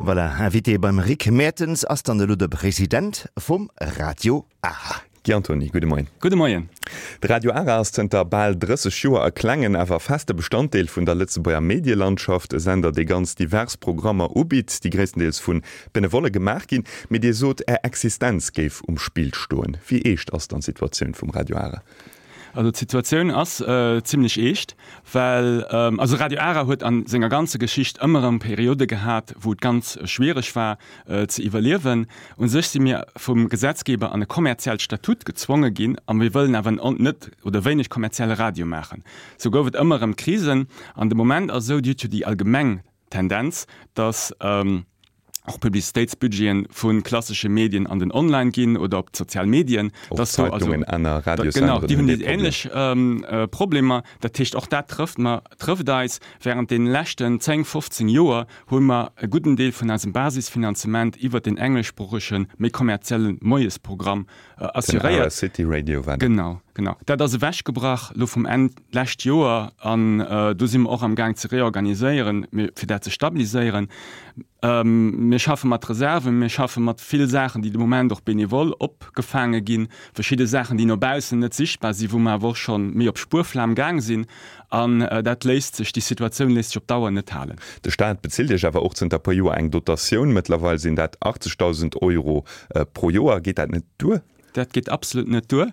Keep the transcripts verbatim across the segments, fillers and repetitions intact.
Voilà, Invité beim Rick Mertens ass dann elo de President vum Radio Ara. Guy Antony, gudde Moien. Gudde Moien. De Radio Ara ass zënter bal drësseg Joer e klengen, awer feste Bestanddeel vun der Lëtzebuerger Medielandschaft. E Sender, dee ganz divers Programmer ubitt, déi gréisstendeels vu Benevolle gemaach ginn. Mee Dir sot, Är Existenz géif um Spill stoen. Wéi eescht ass dann d'Situatioun vum Radio Ara? Also d'Situatioun ass zimlech eescht, well also Radio Ara huet a senger ganzer Geschicht ëmmer erëm Periode gehat, wou et ganz schwiereg war ze iwwerliewen. U sech si mir vum Gesetzgeber an e kommerziellt Statut gezwonge ginn a mir wëllen awer net oder wéineg kommerzielle Radio maachen. Sou gouf et ëmmer erëm Krisen an de Moment ass esou, Dir hutt jo déi allgemeng Tendenz, datt och Publicitéitsbudgeten vu klassesche Medien an den Online ginn oder op d'sozial Medien. Och Zeitungen, aner Radiosenderen hunn dee Problem. Genau, déi hunn déi änlech Problemer. Dat heescht, och dat trëfft mer, trëfft eis. Während deene leschten zéng, fofzéng Joer hu mer e gudden Deel vun eisem Basisfinanzement iwwert deen engleschsproochege, méi kommerzielle Moiesprogramm assuréiert. Den A R City Radio war dat. Genau, genau. Dat ass ewechgebrach elo vum Enn d'lescht Joer an do si mer och am Gaang ze reorganiséieren, fir dat ze stabiliséieren. Mir schaffe mat Reserven, mir schaffe mat vill Saachen, déi de Moment och benevol opgefaange ginn, verschidde Saachen, déi no baussen net sichtbar sinn, wou mer awer och scho méi op Spuerflam gaang sinn. An dat léisst sech, déi Situatioun léisst sech op Dauer net halen. De Staat bezilt Iech awer och zënter e puer Joer eng Dotatioun. Mëttlerweil sinn dat achtzegdausend Euro pro Joer. Geet dat net duer? Dat geet absolut net duer.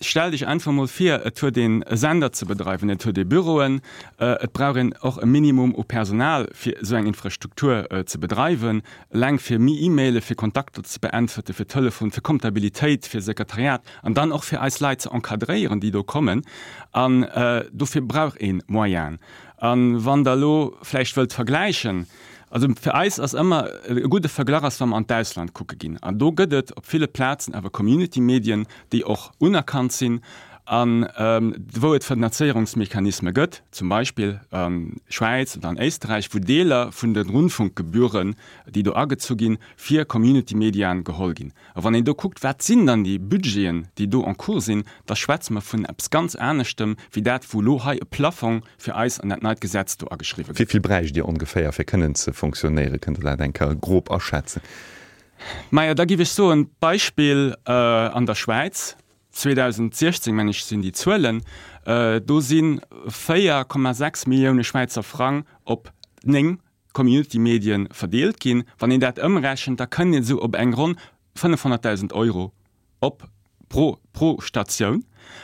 Stellt Iech einfach mol vir, et huet een e Sender ze bedreiwen, et huet ee Büroen, et brauch een och e Minimum u Personal, fir esou eng Infrastruktur ze bedreiwen, eleng fir E-Maile, fir Kontakter ze beäntwerte, fir Telefon, fir Comptabilitéit, fir Sekretariat an dann och fir eis Leit ze encadréieren, déi do kommen. An dofir brauch ee Moyenen. A wann Der elo vläicht wëllt vergläichen, also fir eis ass ëmmer e gudde Verglach ass, wa mer an d'Ausland kucke ginn. An do gëtt et op ville Plazen awer Community-Medien, déi och unerkannt sinn a wou et Finanzéierungsmechanisme gëtt, zum Beispill a Schwäiz oder an Éisterräich, wou Deeler vun de Rundfunkgebühren, déi do agezu ginn, fir Community-Mediaen geholl ginn. A wann een do kuckt, wat sinn dann déi Budgeten, déi do en cours sinn, da schwätze mer vun eppes ganz aneschtem wéi dat, wou elo hei e Plafong fir eis an dat neit Gesetz do ageschriwwe gëtt. Wéi vill bräicht Dir ongeféier, fir kënnen ze fonctionnéieren? Kënnt Der dat eng Kéier grob aschätzen? Majo, da giff ech soen, Beispill an der Schwäiz, zweedausendsechzéng meng ech sinn déi Zuelen, do si véier Komma sechs Millioune Schwäizer Frang op néng Community-Medien verdeelt ginn. Wann een dat ëmrechent, da kënnt een esou op eng ronn fënnefhonnertdausend Euro op pro pro Statioun.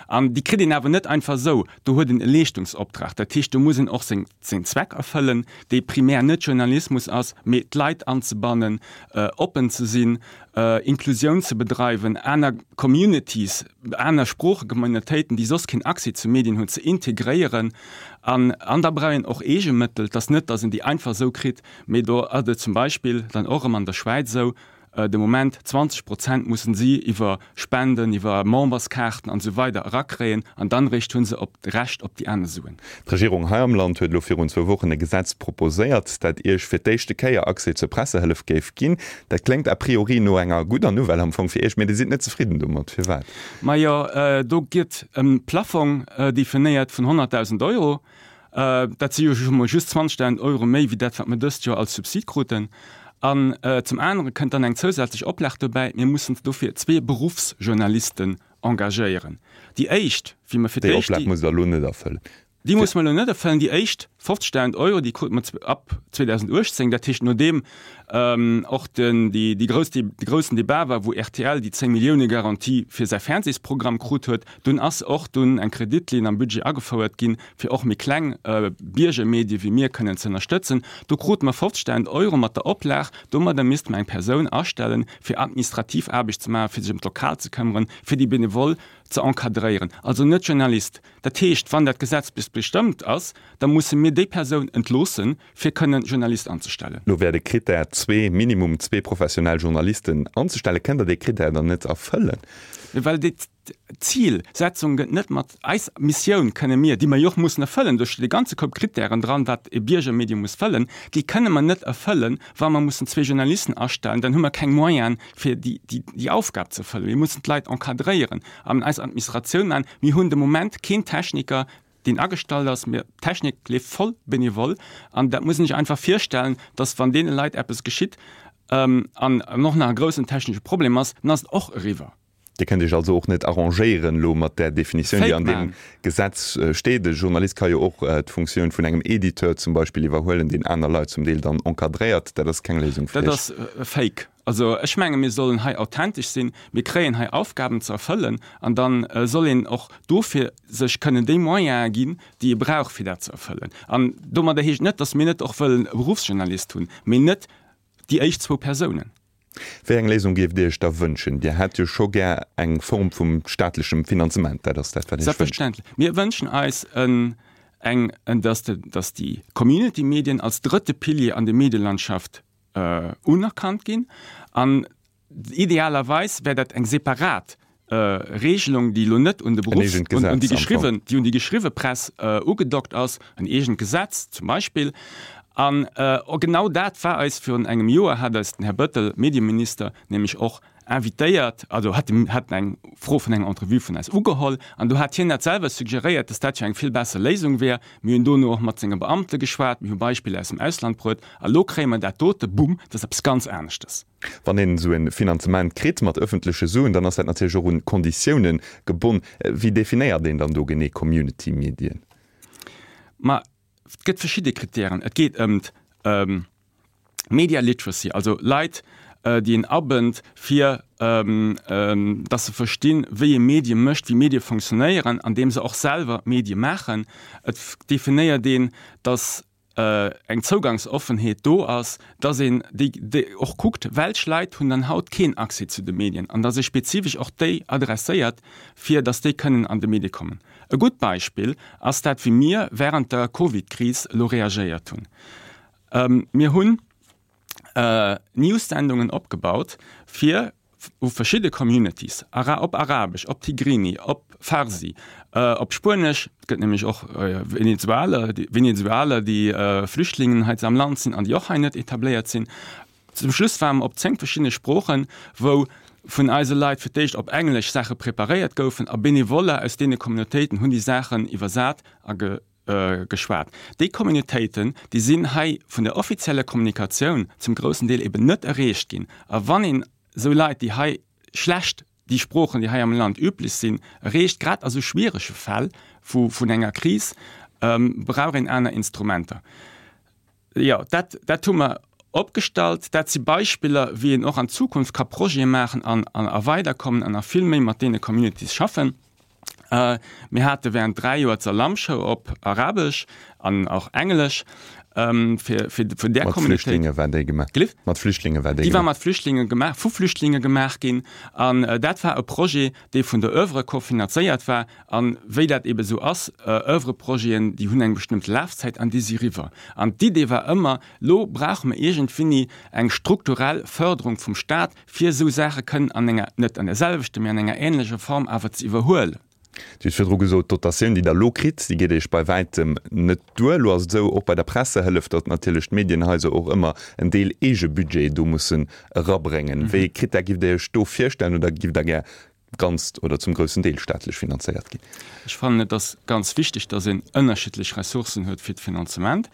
An déi kritt een awer net einfach esou. Do huet een e Leeschtungsoptrag. Dat heescht, do muss een och seng seng Zweck erfëllen, dee primär net Journalismus ass, mee d'Leit anzebannen, oppen ze sinn, Inklusioun ze bedreiwen, aner Communities, aner Sproochegemeinautéiten, déi soss keen Accès zu Medien hunn, ze integréieren. An an da brauch een och Eegemëttel. Et ass net, datt een déi einfach esou kritt, mee do ass et zum Beispill dann och erëm an der Schwäiz esou, de Moment zwanzeg Prozent mussen si iwwer Spenden, iwwer Memberskaarten an esou weider erakréien an dann eréischt hu se op d'Recht op déi aner Suen. D'Regierung hei am Land huet elo virun zwou Wochen e Gesetz proposéiert, dat Iech fir d'éischte Kéier Accès zur Pressehëllef géif ginn. Dat kléngt a priori no enger gudder Nouvelle am Fong fir Iech, mee Dir sidd net zefridden domat. Firwat? Majo, do gëtt e Plaffong definéiert vun honnertdausend Euro. Dat si jo scho mol just zwanzegdausend Euro méi wéi dat, wat mer dëst Joer als Subsid kruten. An zum anere kënnt dann eng zousätzlech Oplag dobäi, Mir mussen dofir zwee Beruffsjournalisten engagéieren. Déi éischt, wéi mer fir d'éischt. Déi Oplag musst Der elo net erfëllen. Déi musse mer elo net erfëllen. Déi éischt fofzegdausend Euro, déi krute mer ab zweedausenduechtzéng, dat heescht nodeem och den, déi, déi grouss, dee groussen Debat war, wou R T L déi zéng-Millioune-Garantie fir säi Fernsehsprogramm krut huet. Dunn ass och dunn eng Kreditlinn am Budget agefouert ginn, fir och méi kleng Biergermedie wéi mir kënnen ze ënnerstëtzen. Do krute mer fofzegdausend Euro mat der Oplag, domadder misste mer eng Persoun astellen, fir administrativ Aarbecht ze maachen, fir sech ëm d'Lokal ze këmmeren, fir déi Benevole ze encadréieren. Also net Journalist. Dat heescht, wann dat Gesetz bis bestëmmt ass, da musse mir déi Persoun entloossen, fir kënnen Journalist anzestellen. Lo wär de Krittär zwee, minimum zwee professionell Journalisten anzestellen. Kënnt Der dee Krittär dann net erfëllen? Well déi Zilsetzung gëtt net mat eis Missioun kënne mir, déi mer jo och mussen erfëllen, do steet e ganze Koup Krittären dran, wat e Biergermedium muss fëllen, déi kënne mer net erfëllen, wa mer mussen zwee Journalisten astellen, dann hu mer keng Moyene fir déi, déi, déi Aufgab ze erfëllen. Mir mussen d'Leit encadréieren an eis Administratioun maachen. Mir hunn de Moment keen Techniker, deen agestallt ass. Mir, d'Technik leeft voll benevol an dat muss een sech einfach virstellen, dass wann deene Leit eppes geschitt an och nach e groussen technesche Problem ass, dann ass et och eriwwer. Dir kënnt Iech also och net arrangéieren elo mat där Definitioun, déi an deem Gesetz steet. E Journalist ka jo och d'Funktioun vun engem Editeur zum Beispill iwwerhuelen, deen aner Leit zum Deel dann encadréiert. Dat ass keng Léisung fir Iech. Dat ass fake. Also ech menge mir sollen hei authentesch sinn. Mir kréien hei Aufgaben ze erfëllen an da soll een och dofir sech kënnen déi Moyene ginn, déi ee brauch fir dat ze erfëllen. An domadder heescht net, datt mir net och wëllen e Beruffsjournalist hunn, mee net déi éischt zwou Persounen. Wéi eng Léisung géift Dir Iech da wënschen? Dir hätt jo scho gär eng Form vum staatlechem Finanzement, dat ass dat, wat Iech wënscht. Selbstverständlech. Mir wënschen eis en, eng, en, dass de, dass déi Community-Medien als drëtte Pilier an der Medielandschaft unerkannt ginn. An idealerweis wär dat eng separat Regelung, déi elo net un de Beruffs-, un déi geschriwwen, déi un déi geschriwwe Press ugedockt ass, en eegent Gesetz zum Beispill. An genau dat war eis virun engem Joer, hat eis den Här Bettel, Medieminister, nämlech och invitéiert, also hat hat eng Fro vun enger Entrevue vun eis ugeholl, an do hat hien dat selwer suggeréiert, dass dat jo eng vill besser Léisung wär. Mir hunn dono och mat senge Beamte geschwat, mir hu Beispiller aus dem Ausland bruet, a lo kréie mer dat dote, bumm, dat ass eppes ganz aneschtes. Wann een esou e Finanzement kritt mat ëffentleche Suen, dann ass dat natierlech och un Konditiounen gebonn. Wéi definéiert een dann do genee Community-Medien? Ma et gëtt verschidde Kritären. Et geet ëm d'Media Literacy, also Leit, déi een abënnt, fir datt se verstinn, wéi ee Medie mécht, wéi Medie fonctionnéieren, andeem se och selwer Medie maachen. Et definéiert een, datt eng Zougangsoffenheet do ass, datt een déi, déi och kuckt, welch Leit hunn dann haut keen Accès zu de Medien an datt ee spezifesch och déi adresséiert, fir datt déi kënnen an de Medie kommen. E gutt Beispill ass dat, wéi mir während der Covid-Kris elo reagéiert hunn. Mir hunn News-Sendungen opgebaut, fir u verschidde Communities, op Arabesch, op Tigrini, op Farsi, op Spuenesch, et gëtt nämlech och Venezualer, Venezualer, déi Flüchtlingen hei am Land sinn an déi och hei net etabléiert sinn. Zum Schluss ware mer op zéng verschiddene Sproochen, wou vun eise Leit fir d'éischt op Englesch Saache preparéiert goufen a Benevoller aus deene Communautéiten hunn déi Saachen iwwersat a geschwat. Déi Communautéiten, déi sinn hei vun der offizieller Kommunikatioun zum groussen Deel eben net erreecht ginn. A wann een esou Leit, déi hei schlecht déi Sproochen, déi hei am Land üblech sinn, erreecht, grad a sou schwierege Fäll vu vun enger Kris, brauch een aner Instrumenter. Jo, dat, dat hu mer opgestallt. Dat si Beispiller, wéi een och an Zukunft ka Projete maachen an, an a weiderkommen an nach vill méi mat deene Communities schaffen. Mir hate während dräi Joer d'Salam-Show op Arabesch an och Englesch, fir, fir vun där Mat Communautéit. Flüchtlinge war déi gemaach? Gelift? Mat Flüchtlinge war déi Déi war gemaach? mat Flüchtlinge gemaach, vu Flüchtlinge gemaach ginn. An dat war e Projet, dee vun der Oeuvre kofinanzéiert war. An wéi dat ebe sou ass, Oeuvre-Projeten, déi hunn eng bestëmmte Lafzäit an déi si riwwer. An d'Idee war ëmmer, Lo brauche mer iergendwéini eng strukturell Förderung vum Staat, fir esou Saache kënnen an enger, net an där selwechter, mee an enger ähnlecher Form awer ze iwwerhuelen. Dir hutt virdru gesot, d'Dotatioun, déi Der elo kritt, déi geet Iech bei wäitem net duer. Elo ass et esou, och bei der Pressehëllef, datt natierlech d'Medienhaiser och ëmmer en Deel Eegebudget do mussen erabréngen. Wéi ee Krittär giff Der Iech do virstellen oder giff Der gär ganz oder zum groussen Deel staatlech finanzéiert ginn? Ech fannen, et ass ganz wichteg, datt een ënnerschiddlech Ressourcen huet fir d'Finanzement.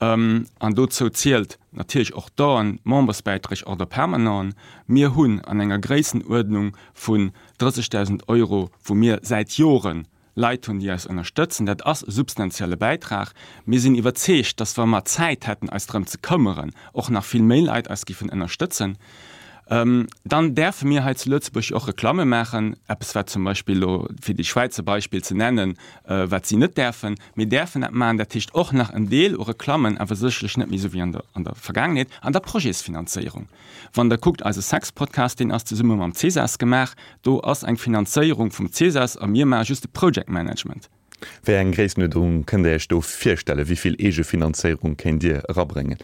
An dozou zielt natierlech och d'Donen, d'Membersbäiträg, Ordre permanenten. Mir hunn an enger Gréissenuerdnung vun drëssegdausend Euro, wou mir säit Jore Leit hunn, déi eis ënnerstëtzen. Dat ass e substantielle Bäitrag. Mir sinn iwwerzeegt, dass, wa mer Zäit hätten, eis drëm ze këmmeren, och nach vill méi Leit eis giffen ënnerstëtzen. Dann däerfe mir hei zu Lëtzebuerg och Reklamme maachen, eppes wat zum Beispill elo, fir déi Schwäizer Beispill ze nennen, wat si net däerfen. Mir däerfen dat maachen, dat heescht och nach en Deel u Reklammen, awer sécherlech net méi esou wéi an der an der Vergaangenheet. An der Projetsfinanzéierung, wann Der kuckt, eise Sex-Podcast, deen ass zesumme mam CESAS gemaach, do ass eng Finanzéierung vum CESAS a mir maache just de Project Management. Wéi eng Gréissenuerdnung kënnt Der Iech do virstellen? Wéi vill Eegefinanzéierung kéint Dir erabréngen?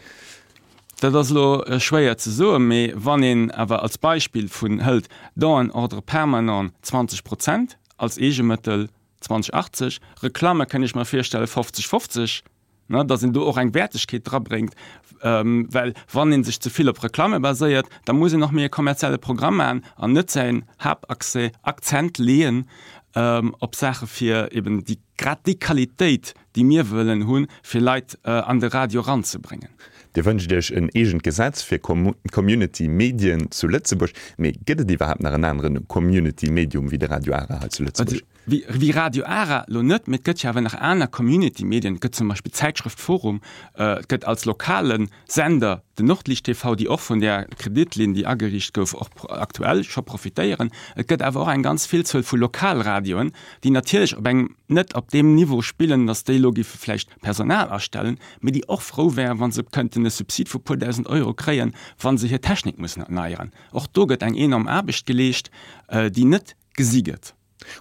Dat ass elo schwéier ze soen, mee wann een awer als Beispill vun hëlt, Don en ordre permanent zwanzeg Prozent als Eegemëttel, zwanzeg achtzeg, Reklamme kënnt ech mer virstellen fofzeg fofzeg, ne, datt een do och eng Wäertegkeet drabréngt, well wann ee sech ze vill op Reklamme baséiert, da muss een och méi e kommerzielle Programm maachen an net säin Haaptaccès, Akzent leeën op Saache fir eben déi, grad déi Qualitéit, déi mir wëllen hunn, fir Leit an de Radio eranzebréngen. Dir wënscht Iech en eegent Gesetz fir Community Medien zu Lëtzebuerg. Mee gëtt et iwwerhaapt nach en aneren Community Medium wéi de Radio Ara hei zu Lëtzebuerg? Wéi Radio Ara lo net, mee et gëtt jo awer nach aner Community Medien. Et gëtt zum Beispill d'Zäitschrëft Forum, et gëtt als lokale Sender den Nordlicht T V, déi och vun där Kreditlinn, déi ageriicht gouf, och aktuell scho profitéieren. Et gëtt awer och eng ganz Villzuel vu Lokalradioen, déi natierlech op engem, net op deem Niveau spillen, datt déi elo géife vläicht Personal astellen, mee déi och frou wären, wa se kënnten e Subsid vu puer dausend Euro kréien, wa se hir Technik mussen erneieren. Och do gëtt eng enorm Aarbecht geleescht, déi net gesi gëtt.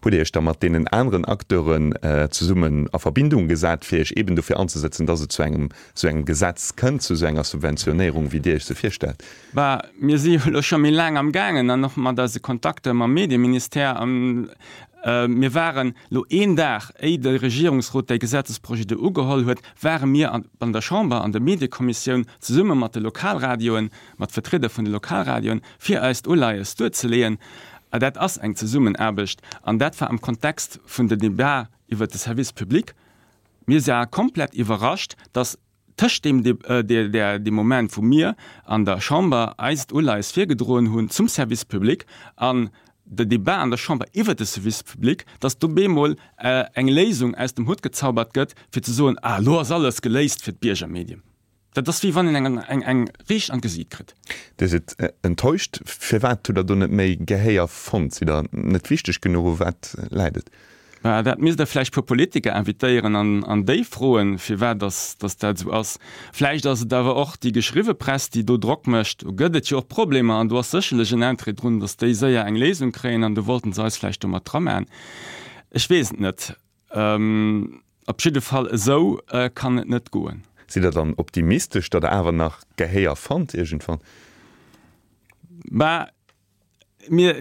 Hutt Dir Iech da mat deenen aneren Acteuren zesummen a Verbindung gesat, fir Iech eeben dofir anzesetzen, dass et zu engem esou engem Gesetz kënnt, zu esou enger Subventionéierung, wéi Dir Iech se virstellt? Bah, mir si jo elo scho méi laang amgaangen an och mat eise Kontakter mam Medieministère. A mir waren elo een Dag, éi de Regierungsrot dee Gesetzesprojet do ugeholl huet, ware mir an der Chamber, an der Mediekommissioun, zesumme mat de Lokalradioen, mat Vertrieder vun de Lokalradioen, fir eist Uleies duerzeleeën. A dat ass eng Zesummenaarbecht, an dat war am Kontext vun der Debat iwwert de Service public. Mir ware komplett iwwerrascht, dass tëscht deem, deem Moment, wou mir an der Chamber eist Uleies virgedroen hunn zum Service public an der Debat an der Chamber iwwert de Service public, dass do bemol eng Léisung aus dem Hutt gezaubert gëtt, fir ze soen, Ah, elo ass alles geléist fir d'Biergermedien. Dat ass wéi wann een eng eng eng riicht an d'Gesiit kritt. Dir sidd enttäuscht. Firwat hutt der do net méi Gehéier fonnt? Sidd der net wichteg genuch? U wat läit et? Bah, dat misst der vläicht puer Politiker invitéieren an an déi froen, firwat dass dass dat esou ass. Vläicht ass et awer och déi geschriwwe Press, déi do Drock mécht. Do gëtt et jo och Problemer an do ass sécherlech en Interêt drun, dass déi séier eng Léisung kréien an do wollten se eis vläicht do mat dramaen. Ech weess et net. Op jidde Fall, esou kann et net goen. Sidd Der dann optimistesch, datt Der awer nach Gehéier fannt iergendwann? Bah, mir,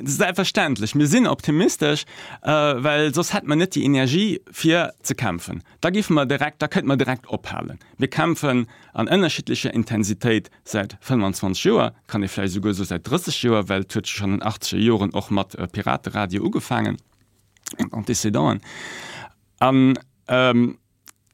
selbstverständlech, mir sinn optimistesch, well soss hätte mer net déi Energie fir ze kämpfen. Da géife mer direkt, da kënnte mer direkt ophalen. Mir kämpfen an ënnerschiddlecher Intensitéit säit fënnefanzwanzeg Joer, kann ee vläicht esouguer soe säit drësseg Joer, well et huet jo schonn an den achtzeger Joren och mat Pirateradio ugefaangen. Antécédenten. An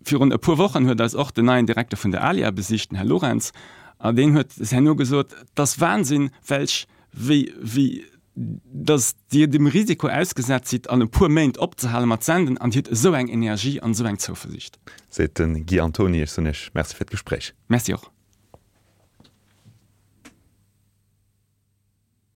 virun e puer Wochen huet eis och den neien Direkter vun der ALIA besicht, den Här Lorentz, an deen huet herno gesot, Et ass Wahnsinn, welch, wéi, wéi, datt Dir dem Risiko ausgesat sidd, an e puer Méint opzehale mat senden, an Dir hutt esou eng Energie an esou eng Zouversiicht. Seet de Guy Antony. Ech soen Iech Merci fir d'Gespréich. Merci och.